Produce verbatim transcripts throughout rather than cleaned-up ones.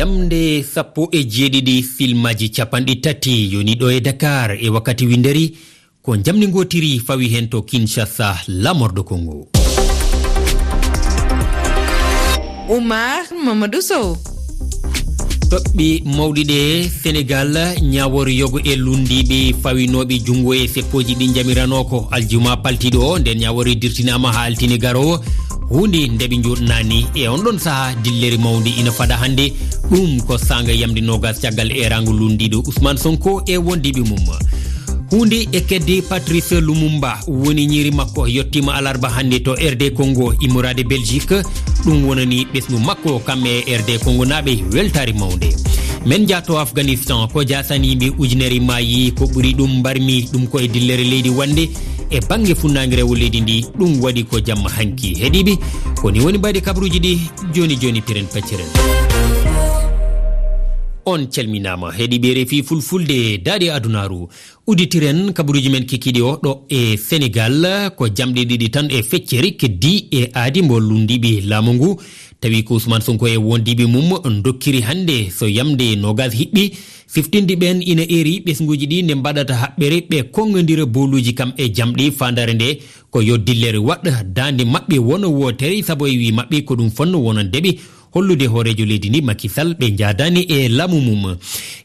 Jamde sappo e jeeɗiɗi filmaaji capanɗe tati yoni ɗo e Dakar e wakkati winderi, ko jamde ngootiri fawi heen to Kinshasa, laamorɗo Kongo. Oumar Mamadou Sow. Toɓɓe mawɗi ɗe, Senegal, ñaawoore yogo e lunndiiɓe fawinooɓe junngo e seppooji ɗi njamiranoo ko aljuma paltiiɗo o. Nden ñaawoore dirtinaama haa altine garoowo. Huunde nde ɓe njoɗnaani e on ɗon sahaa, dillere mawnde ina fada hannde. Ɗum ko saanga yamde noogas caggal eeraango lunndiiɗo Ousmane Sonko e wondiiɓe mum. Huunde e kedde Patrice Lumumba, woni ñiiri makko yettiima alarba hannde to R D Congo, immorade Belgique. Ɗum wonani ɓesngu makko kam e R D Congo naaɓe weltaare mawnde. Men njaato Afghanistan, ko jaasani yimɓe ujunere maayi, ko ɓuri ɗum mbarmi ɗum ko e dillere leydi wannde e bannge funnaange rewo leydi ndi. Ɗum waɗi ko jamma hanki. Heɗiiɓe, ko ni woni mbaydi kabaruuji ɗi. Jooni jooni, piren pecciren. On calminaama, heɗiiɓe R F I Fulfulde, daaɗe adunaaru. Udditiren kabaruuji men kikiiɗi o ɗo e Senegal, ko jamɗe ɗiɗi tan e feccere keddi e aadi mbo lunndiiɓe laamu ngu. Tawi ko Ousmane Sonko e wondiiɓe mum dokkiri hannde so yamde noogas hiɓɓi, siftinde ɓeen ina eeri ɓesnguuji ɗi nde mbaɗata haɓɓere ɓe konngondira booluuji kam e jamɗe faandaare nde, ko yo dillere waɗ daande maɓɓe wona wootere, sabu e wii maɓɓe ko ɗum fonno wonande ɓe hollude hooreejo leydi ndi Macky Sall ɓe njaadaani e laamu mum.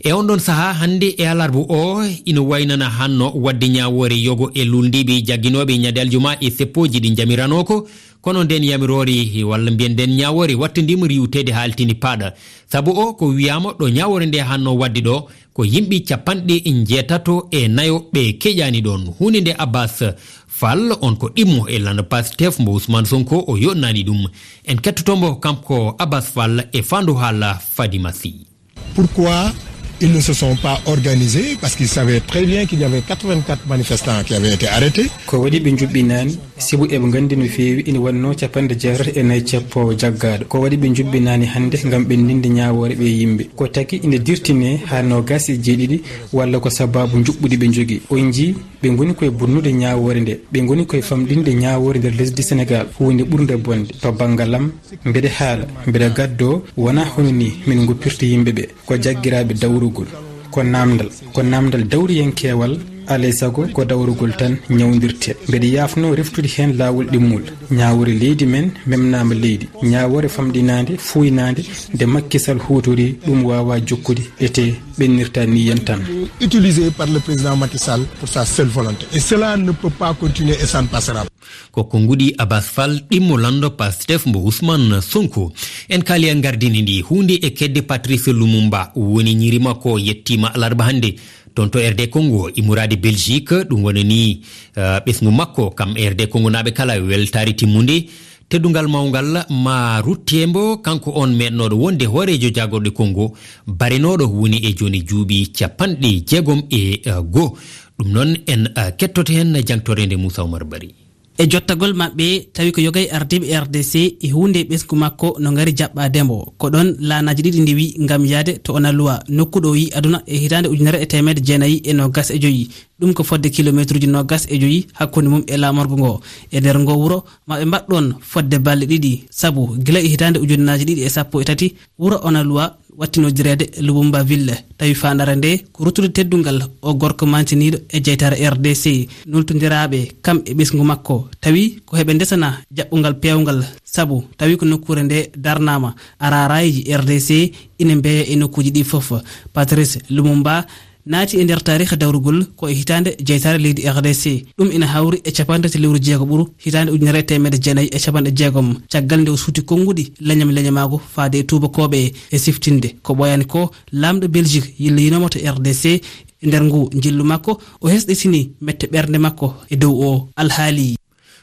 E on ɗon sahaa hannde e alarba o ina waynana hanno waɗde ñaawoore yogo e luulndiiɓe jagginooɓe ñande aljuma e seppooji ɗi njamiranoo ko, kono nden yamiroore walla mbiyen nden ñaawoore wattandiima riiwteede haa altine paaɗa. Sabu o ko wiyaama ɗo ñaawoore nde hanno waɗde ɗo ko yimɓe capanɗe njeetato e nayo ɓe keƴaani ɗoon. Huunde nde Abbas Fall, on ko ɗimmo e lannda Pastef mbo Ousmane Sonko, o yoɗnaani ɗum. En kettoto mbo kanko Abbas Fall e faandu haala Fadima Sy. Pourquoi ils ne se sont pas organisés ? Parce qu'ils savaient très bien qu'il y avait quatre-vingt-quatre manifestants qui avaient été arrêtés. Ko waɗi ɓe njuɓɓinaani, sibu eɓe nganndi no feewi ina wannoo capanɗe jeetato e nayi cappoowo jaggaaɗo. Ko waɗi ɓe njuɓɓinaani hannde ngam ɓenndinde ñaawoore ɓee yimɓe. Ko taki ina dirtinee haa noogaas e jeeɗiɗi, walla ko sabaabu njuɓɓudi ɓe njogii. On njii, ɓe ngoni koye bonnude ñaawoore nde. Ɓe ngoni koye famɗinde ñaawoore nder lesdi Senegaal. Huunde ɓurnde bonde to banngal am, mbeɗe haala, mbeɗe gaddoo, wonaa hono nii min ngoppirta yimɓe ɓe. Ko jaggiraaɓe dawrugol. Ko naamndal. Ko naamndal dawriyankeewal, alaa e sago ko dawrugol tan ñawndirtee. Mbeɗe yaafnoo reftude heen laawol ɗimmol. Ñaawoore leydi men memnaama leydi. Ñaawoore famɗinaande, fuuynaande, nde Macky Sall huutorii, ɗum waawaa jokkude, etee ɓennirta nii yen tan. Utilisé par le président Macky Sall pour sa seule volonté. Et cela ne peut pas continuer et ça ne passera pas. Ko konnguɗi Abbas Fall, ɗimmo lanndo Pastef mbo Ousmane Sonko. En kaali e gardini ndi huunde e kedde Patrice Lumumba, woni ñiiri makko yettiima alarba hannde toon to R D Congo, immorade Belgique. Ɗum wonani, eh, ɓesngu makko, kam R D Congo naaɓe kala, weltaare timmunde. Teddungal mawngal ma rutte mbo, kanko on meeɗnooɗo wonde hooreejo jaagorɗe Congo, barenooɗo woni e jooni juuɓi capanɗe jeegom e, eh, goo. Ɗum noon en, eh, kettoto heen jangtoreende Moussa Oumar Bari. E jottagol maɓɓe, tawi ko yoga e ardiiɓe R D C e huunde e ɓesngu makko no ngari jaɓɓaade mbo. Ko ɗoon laanaaji ɗiɗi ndewi ngam yahde to Onaluwa, nokku ɗo o yi aduna e hitaande ujunere e teemedde jeenayi e noogas e joyi. Ɗum ko fodde kilomeetruuji noogas e joyi hakkunde mum e laamorgo ngo. E nder ngo wuro, ma ɓe mbaɗ ɗoon fodde balɗe ɗiɗi, sabu gila e hitaande ujunnaaji ɗiɗi e sappo e tati, wuro Onaluwa wattinoodireede Lubumba Ville, tawi faandaare nde ko ruttude teddungal o gorko maantiniiɗo e jeytaare R D C. Nultondiraaɓe kam e ɓesngu makko, tawi ko heɓe ndesana jaɓɓungal peewngal, sabu tawi ko nokkuure nde darnaama, a raaraaji R D C ina mbeeya e nokkuuji ɗi fof. Patrice Lumumba naati e nder taariikh dawrugol ko e hitaande jeytaare leydi R D C. Ɗum ina hawri e capanɗe tati lewru jeego ɓuru hitaande ujunere e teemedde jeenayi e capanɗe jeegom, caggal nde o suuti konnguɗi leñam leñamaagu faade e tuubakooɓe. E siftinde ko ɓooyaani ko, laamɗo Belgique yilloyinooma to R D C. E nder ngu njillu makko, o hesɗitini mette ɓernde makko e dow o alhaali.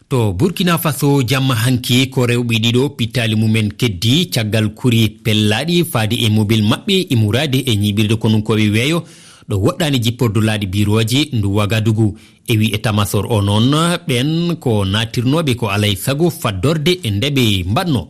To Burkina Faso, jamma hanki ko rewɓe ɗiɗo pittaali mumen keddi caggal kuri pellaaɗi faade e mobil maɓɓe immorade e ñiiɓirde konunkooɓe weeyo ɗo woɗɗaani jippordu laaɗe birooje ndu Wagadugu. E wi e tamasor o noon, ɓeen ko naatirnooɓe ko alay sago faddorde e nde ɓe mbaɗno.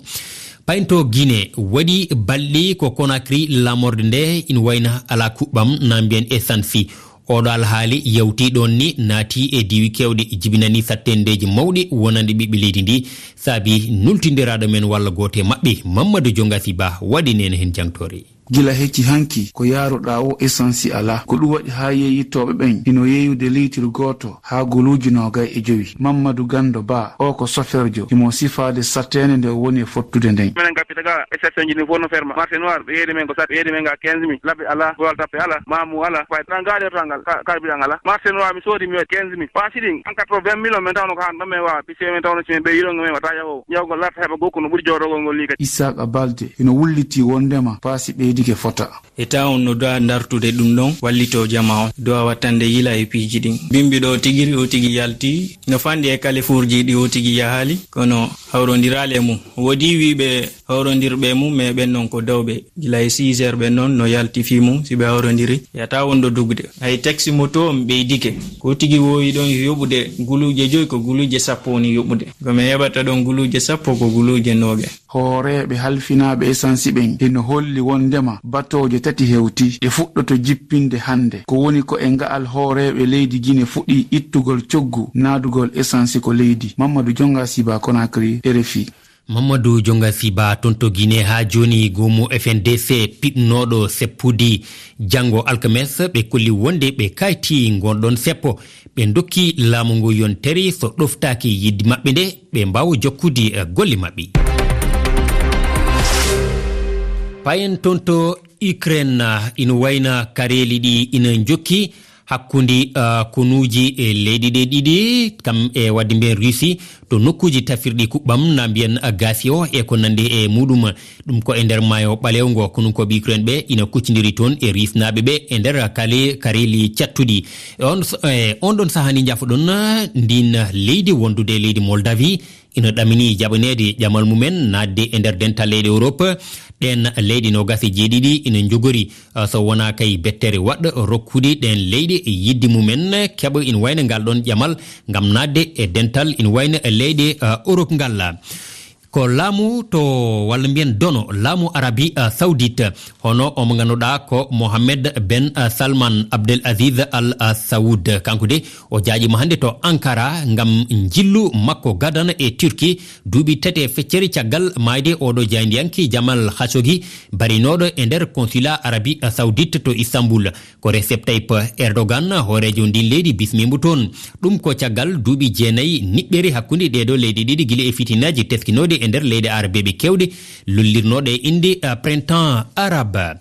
Paynto Guinée, waɗi balɗe ko Conakry laamorde nde ina wayna alaa kuɓɓam, na mbiyen e sansi. Oɗo alhaali yawti ɗoon ni naati e diiwi keewɗe, jibinani sattendeeji mawɗi wonande ɓiɓɓe leydi ndi, saabi nultindiraaɗo men walla gooto e maɓɓe, Mamadou Diongasi Ba, waɗi neen heen jangtoore. Gila hecci hanki ko yaaruɗaa o esansi alaa. Ko ɗum waɗi haa yeeyittooɓe ɓen hino yeeyude liitir gooto haa guluuji noogay e jowi. Mammadu Ganndo Ba, o ko soferjo, himo sifaade sateende nde o woni e fottude nden. Minen gappita ga, exception ji ɗin fof no ferma. Marché noir, ɓe yeeyde men ko sat, ɓe yeeyde men ga quinze mille. Labbe alaa, boyal tappe alaa, maamu alaa, fayda. Ɗan gaari oto ngal, ka-, karbiran alaa. Marché noir, mi soodi mi waɗi quinze mille. Paasi ɗin, en quatre-vingt mille, min tawno ko haa ɗon min waawa. Puisque min tawno si min ɓe yiɗo min wata yaho. Ñawgol larta heɓa gokku no ɓuri joɗogol ngol ni kadi. Isaac Balde hino wulliti wondema paasi ɓeydike fota. Eta on no dowa dartude ɗum ɗon, wallito jama on, dowa wattande yila e piiji ɗin. Bimbi ɗo tigiri o tigi yalti, no fandi e kalifuurji ɗi o tigi yahali, kono hawrondirali e mum. Woodi wiiɓe hawrondirɓe e mum, mais ɓen non ko dawɓe. Gila e six heures ɓen non no yalti fii mum, si ɓe hawrondiri, yata won ɗo dugde. Hay taxi moto on ɓeydike. Ko tigi wowi ɗon yoɓude guluuje joy, ko guluuje sappo woni yoɓude. Ko mi heɓata ɗon guluuje sappo, ko guluuje noogaye. Hooreeɓe halfinaaɓe esansi ɓen hino holli wondema batooje tati hewti ɗe fuɗɗoto jippinde hannde. Ko woni ko e nga'al hooreeɓe leydi Gine fuɗɗi ittugol coggu naadugol esansi ko leydi. Mamadou Jonga Siba, Conakry, R F I. Mamadou Jonga Siba, ton to Gine. Haa jooni, goomu F N D C piɗnooɗo seppude janngo alkames, ɓe kolli wonde ɓe kayti ngon ɗon seppo. Ɓe dokki laamu ngu yontere so ɗoftaaki yiɗde maɓɓe nde, ɓe mbaawa jokkude, eh, golle maɓɓe. Payen ton to Ukraine, ah, ina wayna kareeli ɗi ina njokki hakkunde, ah, konuuji e leyɗe ɗe ɗiɗi, kam e wadde mbiyen Russie, to nokkuuji tafirɗi kuɓɓam na mbiyen, ah, gaasi o e ko nandi e muɗum. Ɗum ko e nder maayo ɓaleewo ngo, konunkooɓe Ukraine ɓe ina kuccindiri toon e Rusnaaɓe ɓe e nder kale-, kareeli cattuɗi. E on s-, e on ɗon sahaa ni njafoɗon, ndin leydi wondude e leydi Moldavie ina ɗamini jaɓaneede ƴamal mumen naatde e nder dental leyɗe Europe. Ɗen leyɗe noogas e jeeɗiɗi ina njogori, ah, so wonaa kay bettere waɗ rokkude ɗen leyɗe yiɗde mumen keɓa ina wayna ngal ɗon ƴamal ngam naatde e dental ina wayna leyɗe, ah, Europe ngal. Ko laamu to, walla mbiyen dono, laamu Arabi, ah, Saoudite, hono o mo ngannduɗaa ko Mohammed ben, ah, Salman Abdel Aziz Al, ah, Saoud. Kanko de, o jaaƴiima hannde to Ankara ngam njillu makko gadana e Turki, duuɓi tati e feccere caggal maayde oɗo jaayndiyanke Jamal Khashoggi, barinooɗo e nder consulat Arabi, ah, Saoudite to Istanbul. Ko Recep Tayyip Erdogan, hooreejo ndin leydi, bismii mbo toon. Ɗum ko caggal duuɓi jeenayi niɓɓere hakkunde ɗee ɗoo leyɗe ɗiɗi gila e fitinaaji teskinooɗi e nder leyɗe arabeeɓe keewɗe, lollirnooɗe e innde, eh, Printemps Arabe.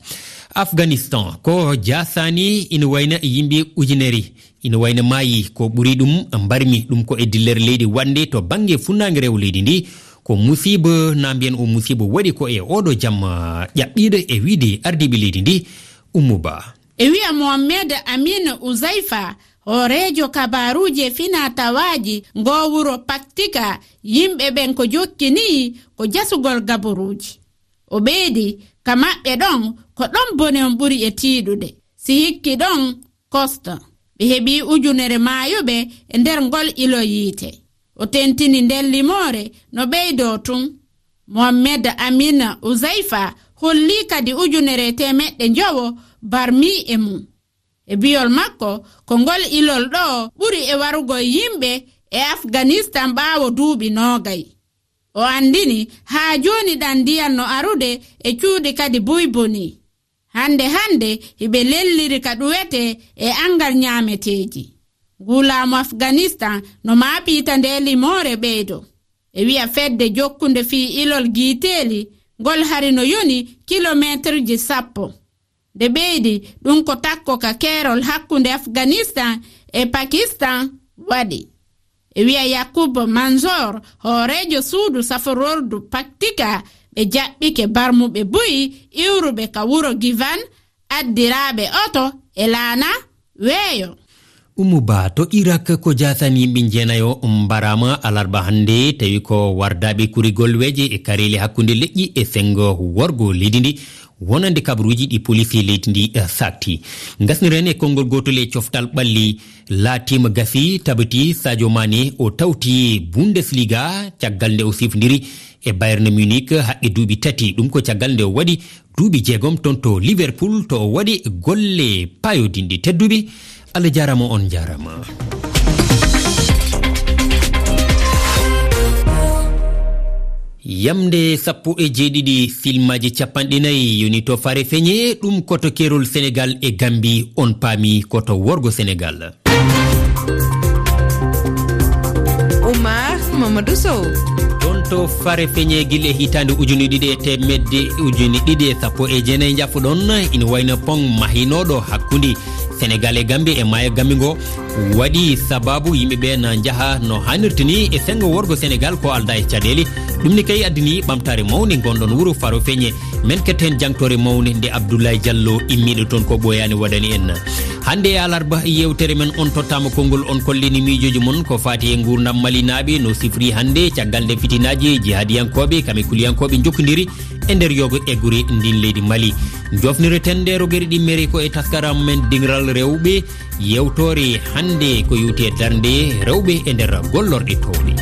Afghanistan, ko jaasaani ina wayna yimɓe ujunere, ina wayna maayi, ko ɓuri ɗum mbarmi. Ɗum ko e dillere leydi waɗnde to bannge funnaange rewo leydi ndi. Ko musiiba, na mbiyen o musiiba waɗi ko e oɗo jam, eh, ƴaɓɓiiɗo e wiide ardiiɓe leydi ndi. Ummu Ba. E wiya Mohammed Amin Uzaifa, hooreejo kabaaruuji e finaa-tawaaji ngoo wuro Paktika, yimɓe ɓen ko jokki nii ko jasugol gaboruuji. O ɓeydi, ka maɓɓe ɗon, ko ɗon bone on ɓuri e tiiɗude. Si hikki ɗon, kosto. Ɓe heɓii ujunere maayuɓe e nder ngol ilo yiite. O tentini nden limoore no ɓeydoo tun. Mohammed Amin Uzaifa hollii kadi ujunere e teemeɗɗe njowo barmii e mum. E biyol makko, ko ngol ilol ɗoo ɓuri e warugol yimɓe e Afganistan ɓaawo duuɓi noogay. O anndini, haa jooni ɗan ndiyan no arude e cuuɗi kadi buy boni. Hannde hannde, hiɓe lelliri ka ɗuwetee e anngal ñaameteeji. Nguu laamu Afganistan no maapiita ndee limoore ɓeydo. E wiya fedde jokkunde fii ilol giiteeli, ngol hari no yoni kilomeeterji sappo. Nde ɓeydi, ɗum ko takko ka keerol hakkunde Afganistan e Pakistan waɗi. E wiya Yakub Manzoor, hooreejo suudu saforordu Paktika, ɓe jaɓɓike barmuɓe buy iwruɓe ka wuro Givan, addiraaɓe oto e laana weeyo. Ummu Ba, to Irak, ko jaasan yimɓe jeenayo mbaraama alarba hannde, tawi ko wardaaɓe kurigol weeje e kareeli hakkunde leƴƴi e senngo worgo leydi ndi, wonande kabaruuji ɗi poliisi leydi ndi, eh, saakti. Ngasniren e konngol gootol e coftal ɓalli. Laatiima gasi tabiti Sadio Mané o tawti Bundesliga caggal nde o sifondiri e Bayern Munich haqqe duuɓi tati. Ɗum ko caggal nde o waɗi duuɓi jeegom ton to Liverpool, to o waɗi golle paayodinɗe. Tedduɓe, Allah jaaraama, on jaaraama. Yamnde sappo e jeeɗiɗi, filmaaji capanɗe nayi yoni to Farefeñe, ɗum ko to keerol Senegaal e Gammbi, on paami ko to worgo Senegaal. Oumar Mamadou Sow. Toon to Farefeñe, gila e hitaande ujune ɗiɗi e teemedde, ujune ɗiɗi e sappo e jeenayi, njafuɗon, ina wayno pont mahinooɗo hakkunde Senegaal e Gammbi e maayo Gammbi ngo waɗi sabaabu yimɓe ɓe na njaha no haanirta ni e senngo worgo Senegaal ko aldaa e caɗeele. Ɗum ni kay addani ɓamtaare mawnde ngonɗon wuro Farofeñe. Men ketto heen jangtoore mawnde nde Abdoulaye Diallo immiiɗo toon ko ɓooyaani waɗani en. Hannde e alarba, yeewtere men on tottaama konngol, on kollini miijooji mon ko faati e nguurndam malinaaɓe, no sifri hannde caggal nde fitinaaji jihaadiyankooɓe kame kuliyankooɓe njokkondiri e nder yogo e gure ndin leydi Mali. Jofnireten nde rogere ɗimmere ko e taskaram men dingiral rewɓe. Yewtoore hannde ko yowti e darnde rewɓe e nder gollorɗe toowɗe.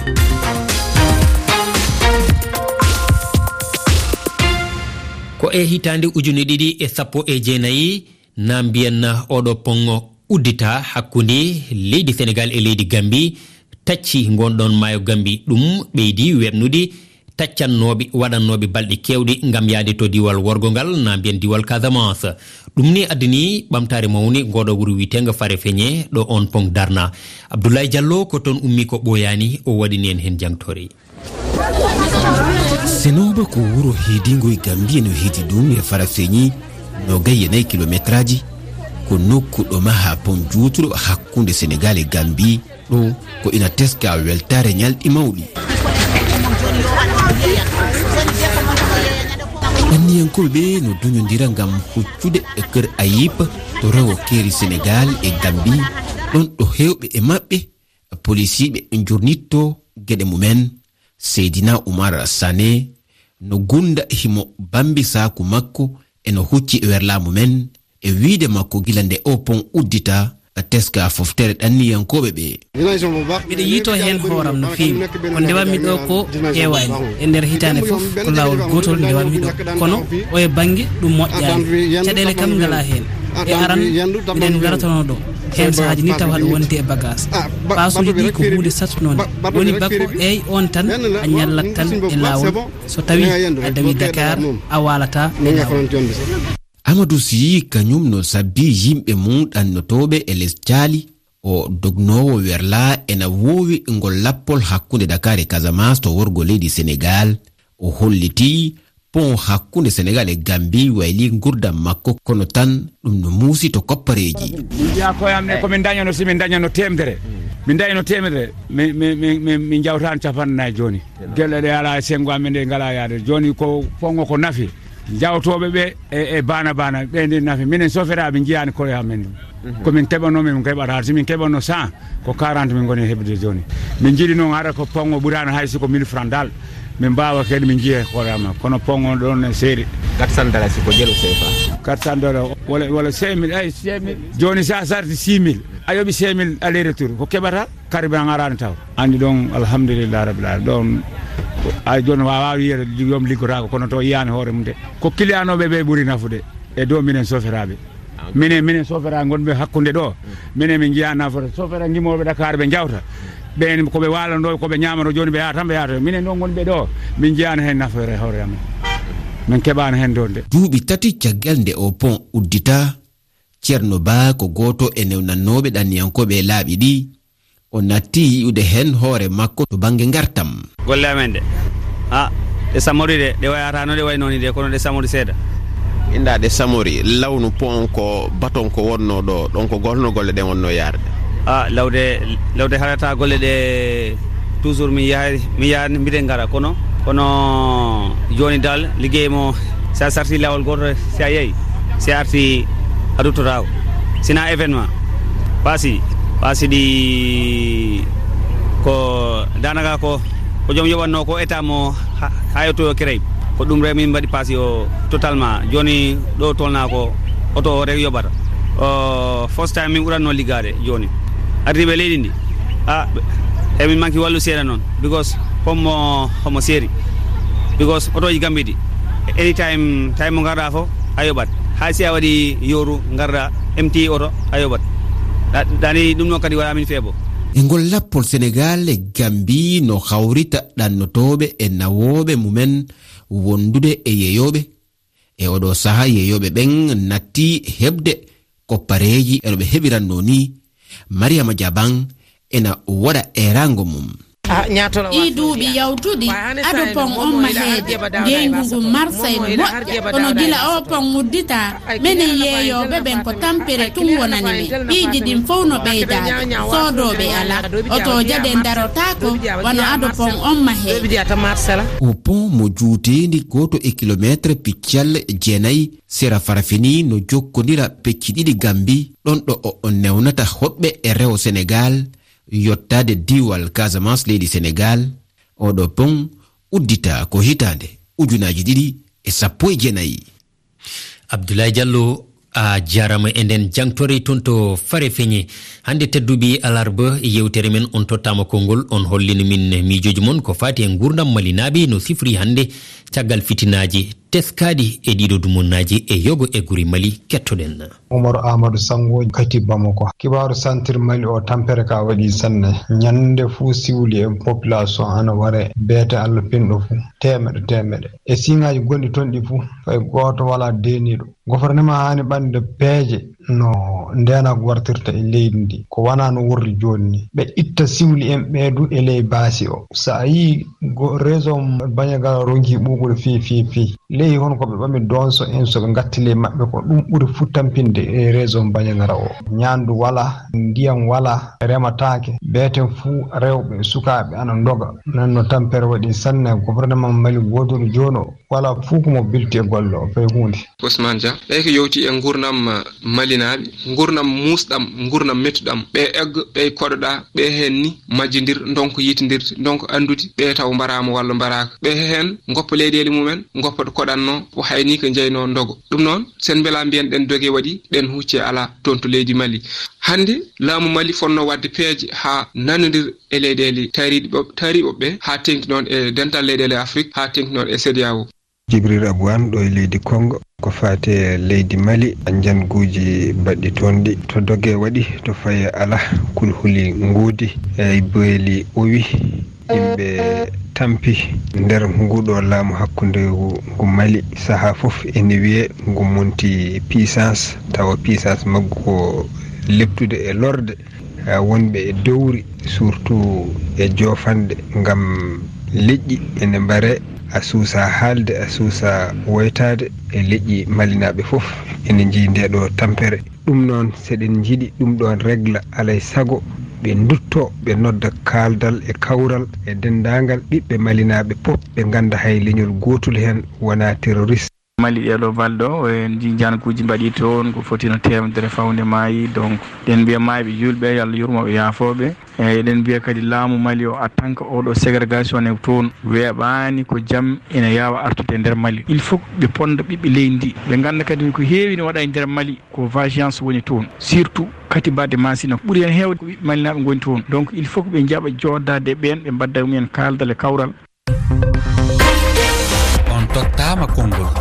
Ko e hitaande ujune ɗiɗi e sappo e jeenayi, na mbiyen oɗo pont uddita hakkunde leydi Senegaal e leydi Gammbi, tacci ngonɗon maayo Gammbi. Ɗum ɓeydi weɓnude taccannooɓe, waɗannooɓe balɗe keewɗe ngam yahde to diwal worgo ngal, na mbiyen diwal Casamance. Ɗum ni addani ɓamtaare mawnde ngoɗo wuro wiyeteengo Farefeñe, ɗo on pont darna. Abdoulaye Diallo ko toon ummi ko ɓooyaani, o waɗani en heen jangtoore. Senooba ko wuro heedingo e Gammbi, no heedi ɗum e Farafeñi, noogay e nayi kilometraaji. Ko nokku ɗo maha pont juutuɗo hakkunde Senegaal e Gammbi. Ɗo ko ina teska weltaare ñalɗi mawɗi. Anniyankooɓe ɓe no duñondira ngam huccude e Kër Ayib to rewo keeri Senegaal e Gammbi, ɗon ɗo heewɓe e maɓɓe, polisiiɓe, njurnitto geɗe mumen. Seydina Oumar Sané no gunda himo bambi saaku makko e no hucci e werlaa mumen, e wiide makko gila nde o pont uddita, teska foftere ɗanniyankooɓe ɓe. Miɗo yiito heen hooram no feewi. Ko ndewammi ɗo ko heewaani. E nder hitaande fof ko laawol gootol ndewammi ɗo. Kono o e bannge ɗum moƴƴaani. Caɗeele kam ngalaa heen. E aran, miɗen ngaratano ɗo. Heen sahaaji ni tawa haɗa wondi e bagaas. Paasuuji ɗi ko huunde sattunoonde. Woni bako eey on tan a ñallat tan e laawol. So tawi a dawi Dakar, a waalata e laawol. Amadou Sy kañum no sabbi yimɓe mum ɗannotooɓe e les caali. O dognoowo werlaa ena woowi ngol lappol hakkunde Dakar e Casamance to worgo leydi Senegaal. O holliti pont hakkunde Senegaal e Gammbi wayli ngurdam makko, kono tan ɗum no muusi to koppareeji. Min mbiya koye am ne, ko min dañano, si min dañano teemedere, min dañano teemedere, mi, mi, mi, mi, min njawtaan capanɗe nayi jooni. Gelle ɗe alaa e senngo amen, ɗe ngalaa yaade. Jooni ko pont o ko nafi. Jawtooɓe ɓe e, e baana baana, ɓe ndi nafi. Minen soferaaɓe njiyaani koye amen ɗum. Mhm. Ko min keɓanoo, min keɓata. Si min keɓanoo cent, ko quarante min ngoni heɓude jooni. Min njiɗi noon hara ko pont o ɓuraano hay si ko mille francs dal. Min mbaawa kadi min njiya koye amen. Kono pont o ɗoon ne seeri. Quatre cents dalasi ko jelu C F A. Quatre cents dollars, wala, wala cinq mille, ay, cinq mille. Jooni sa sarti six mille, a yoɓi cinq mille aller retour. Ko keɓata? Carburant araani taw. Anndi ɗoon, alhamdulillah rabbil alamin. Ɗoon, ay, jooni waawaa wiyeede joom liggotaako, kono to yiyaani hoore mum de. Ko kiliyanooɓe ɓe ɓuri nafude e dow minen soferaaɓe. Minen, minen soferaaɓe ngonɓe hakkunde ɗo. Minen min njiyaa nafoore. Sofere ngimooɓe Dakar ɓe njawta. Ɓeen ko ɓe waalandoo, ko ɓe ñaamanoo, jooni ɓe yaha tan ɓe yahata. Minen noon ngonɓe ɗo, min njiyaani heen nafoore hoore amen. Min keɓaani heen doonde. Duuɓi tati caggal nde o pont uddita, Ceerno Ba ko gooto e newnannooɓe ɗanniyankooɓe e laaɓi ɗi. O natti yi'ude heen hoore makko to bannge ngartam. Golle amen ɗe, a, ɗe samori de, ɗe wayata no ɗe waynoo ni de, kono ɗe samori seeɗa. Inda ɗe samori, lawnu pont ko baton ko wonnoo ɗo, ɗon ko golno golle ɗen wonnoo yaarde? A, lawde, lawde harata golle ɗe, toujours mi yahay, mi yahay, mbiɗen ngara, kono, kono jooni dal, liggey mo, si a sarti laawol gooto, si a yehi, si a arti, a duttotaako. Sina événement, paasi, paasi ɗi ko daanaka ko, ko joom yoɓatnoo ko état mo ha, ha yetto o créé. Ko ɗum rek min mbaɗi paasi o totalement. Jooni ɗo tolnaa ko oto o rek yoɓata. O, first time min ɓuratnoo liggaade jooni. Ardiiɓe leydi ndi, a, emin manki wallu seeɗa noon, because homo, homo seeri. Because otooji Gammbi ɗi, anytime, time mo ngarɗaa fof, a yoɓat. Hay si a waɗi yooru, ngarɗaa, M T oto, a yoɓat. Ɗa-, ɗani ɗum noon kadi waɗa min feebo. E ngol lappol, Senegaal e Gambi no hawrita ɗannotooɓe e nawooɓe mumen wondude e yeeyooɓe. E oɗo saha, yeeyooɓe ɓen natti heɓde koppareeji e no ɓe heɓiranno ni. Mariama Jaban ena waɗa eeraango mum. Ɗii duuɓi yawtuɗi, ado pon on maheede, ngeyngu ngun marsa ene moƴƴa. Kono gila oo pon udditaa, menen yeeyooɓe ɓen ko tampere tun wonani men. Piiji ɗin fow no ɓeydaade, soodooɓe alaa. Otooje ɗen darotaako, wano ado pon on maheede. O pon mo juuteendi gooto e kilomeetre piccal jeenayi sera Farafeni no jokkondira pecci ɗiɗi Gambi, ɗon ɗo o, o newnata hoɗɓe e rewo Senegaal, yottaade diiwal Casamance leydi Senegaal. Oɗo pon udditaa ko hitaande ujunaaji ɗiɗi e sappo e jeenayi. Abdoulaye Diallo, a jaaraama e nden jangtore ton to Farefeñe. Hannde tedduɓe alarba, yewtere men on tottaama konngol, on hollini min miijooji mon ko faati e nguurndam Malinaaɓe no sifri hannde caggal fitinaaji teskaaɗi e ɗiɗo dumunnaaji e yogo e gure Mali. Kettoɗen. Umar Ahmadu Sango, Kati Bamako. Kibaaru santir Mali o, tampere ka waɗi sanne. Ñannde fuu siwli e population ana ware beete Allah pinɗo fuu. Teemeɗe, teemeɗe. E siŋaaji gonɗi ton ɗi fuu, fay gooto walaa deeniiɗo. Gofornema haani ɓande peeje no ndeenagu wartirta e leydi ndi. Ko wanaa no worri jooni ni. Ɓe itta siwli en ɓee du e ley baasi o. So a yii go-, réseau Bandiagara ronki ɓuuɓude fii, fii, fii. Ley hon ko ɓe ɓami donso en, so ɓe ngatti ley maɓɓe, ko ɗum ɓuri fuu tampinde e réseau Bandiagara o. Ñaandu walaa, ndiyam walaa, remataake. Beeten fuu rewɓe, sukaaɓe ana ndoga. Nan no tampere waɗi sanne, gouvernement Mali goodol jooni o, walaa fuu ko mo bilti e golle o, fay huunde. Ousmane Dia, ɓay ko yowti e ngurnam, eh, Malinaaɓe, ngurnam muusɗam, ngurnam mettuɗam. Ɓe egg, ɓe koɗoɗaa, ɓe heen ni majjindir, ndonko yitindirde, ndonko anndude, ɓe taw mbaraama walla mbaraaka. Ɓe heen ngoppa leyɗeele mumen, ngoppa ɗo koɗanno, o hayni ko njeyno ndogo. Ɗum noon, sen mbela mbiyen ɗen doge waɗi, ɗen hucce alaa toon to leydi Mali. Hannde, laamu Mali fotno waɗde peeje haa nanondir e leyɗeele taariiɗe ɓo-, taariiɓe ɓe, haa teŋti noon e dental leyɗeele Afrik, haa teŋti noon e CEDEAO. Jibril Abou Anne ɗo e leydi Kongo. Ko faati e leydi Mali, njanguuji baɗɗi toon ɗi. To doge waɗi, to faye alaa, kulhuli ngoodi, e beeli owi, yimɓe tampi nder nguɗo laamu hakkunde ngu, ngu Mali. Sahaa fof ene wiyee ngu monti puissance, tawa puissance maggu ko leptude e lorde. Eh, wonɓe e dowri, surtout e joofanɗe, ngam leƴƴi ene mbare, a suusa haalde, a suusa woytaade e leƴƴi Malinaaɓe fof ene njii nde ɗo tampere. Ɗum noon, seɗen njiɗi ɗum ɗoon regla, alay sago ɓe ndutto, ɓe nodda kaaldal e kawral e denndaangal ɓiɓɓe Malinaaɓe pop, ɓe ngannda hay leñol gootol heen wonaa terroriste. Mali ɗee ɗoo balɗe ɗo, en njii njankuuji mbaɗii toon, ko foti no teemedere fawnde maayi. Donc, eɗen mbiya maayɓe juulɓe, yo Allah yurmo ɓe, yaafoo ɓe. Eey, eɗen mbiya kadi laamu Mali o, en tant que oo ɗoo ségrégation ne toon, weeɓaani ko jam ene yaawa artude e nder Mali. Il faut ɓe ponnda ɓiɓɓe leydi ndi, ɓe ngannda kadi ko heewi ne waɗa e nder Mali, ko vengeance woni toon. Surtout Kati Bade Masina, ko ɓuri heen heewde ko ɓiɓɓe Malinaaɓe ngoni toon. Donc, il faut ko ɓe njaɓa jooɗdaade e ɓeen, ɓe mbadda e mumen kaaldal e kawral. On tottaama konngol.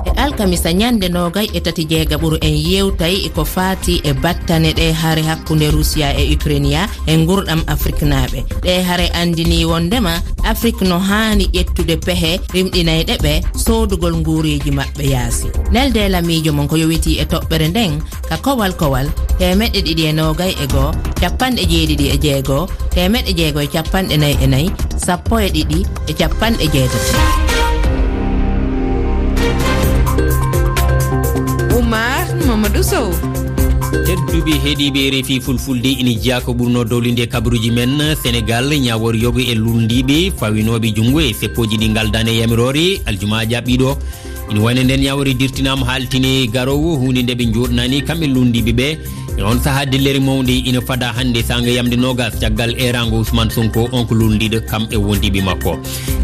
E alkamisa ñande noogay e tati jeegaɓuru, en yewtay e ko faati e battane ɗe hare hakkunde Rusiya e Ukraine e ngurɗam Afriknaaɓe. Ɗe hare anndinii wonndema Afrik no haani ƴettude pehe rimɗinayɗe ɓe soodugol nguureeji maɓɓe yaasi. Nelde lamiijo mon ko yowitii e toɓɓere nden, ka kowal kowal, teemeɗɗe ɗiɗi e noogay e goo, capanɗe jeeɗiɗi e jeego, teemeɗɗe jeego e capanɗe nayi e nayi, sappo e ɗiɗi e capanɗe jeetati. Oumar Mamadou Sow. Tedduɓe heɗiiɓe R F I Fulfulde, ina jeyaa ko ɓurno dowlinde e kabaruuji men. Senegal, ñaawoore yogo e luulndiiɓe fawinooɓe junngo e seppooji ɗi ngaldaani e yamiroore aljuma jaɓɓiiɗo. Ina wayno nden ñaawre dirtinaama haaltine garoowo, huunde nde ɓe njooɗnaani kamɓe luulndiiɓe ɓe. E on sahaa, dillere mawnde ina fada hannde saanga yamde noogas caggal eeraango Ousmane Sonko, on ko luulndiiɗo kam e wondiiɓe makko.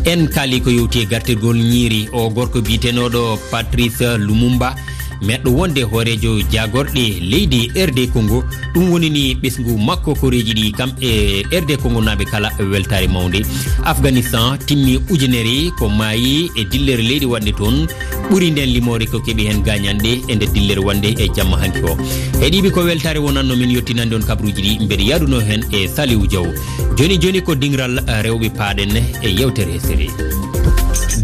En kaali ko yowti e gartirgol ñiiri o gorko biyetenooɗo Patrice Lumumba, meɗɗo wonde hooreejo jaagorɗe leydi R D Congo. Ɗum woni ni ɓesngu makko koreeji ɗi kam e R D Congo naaɓe kala weltaare mawnde. Afghanistan timmi ujunere ko maayi e dillere leydi waɗnde toon. ɓuri nden limoore ko keɓi heen gaañanɗe e nder dillere wonde e jamma hanki o. Heɗiiɓe, ko weltaare wonanno min yottinande on kabaruuji ɗi, mbeɗa yaadunoo heen e Saliou Diaw. Jooni jooni ko diŋral, eh, rewɓe paaɗen e yewtere hesere.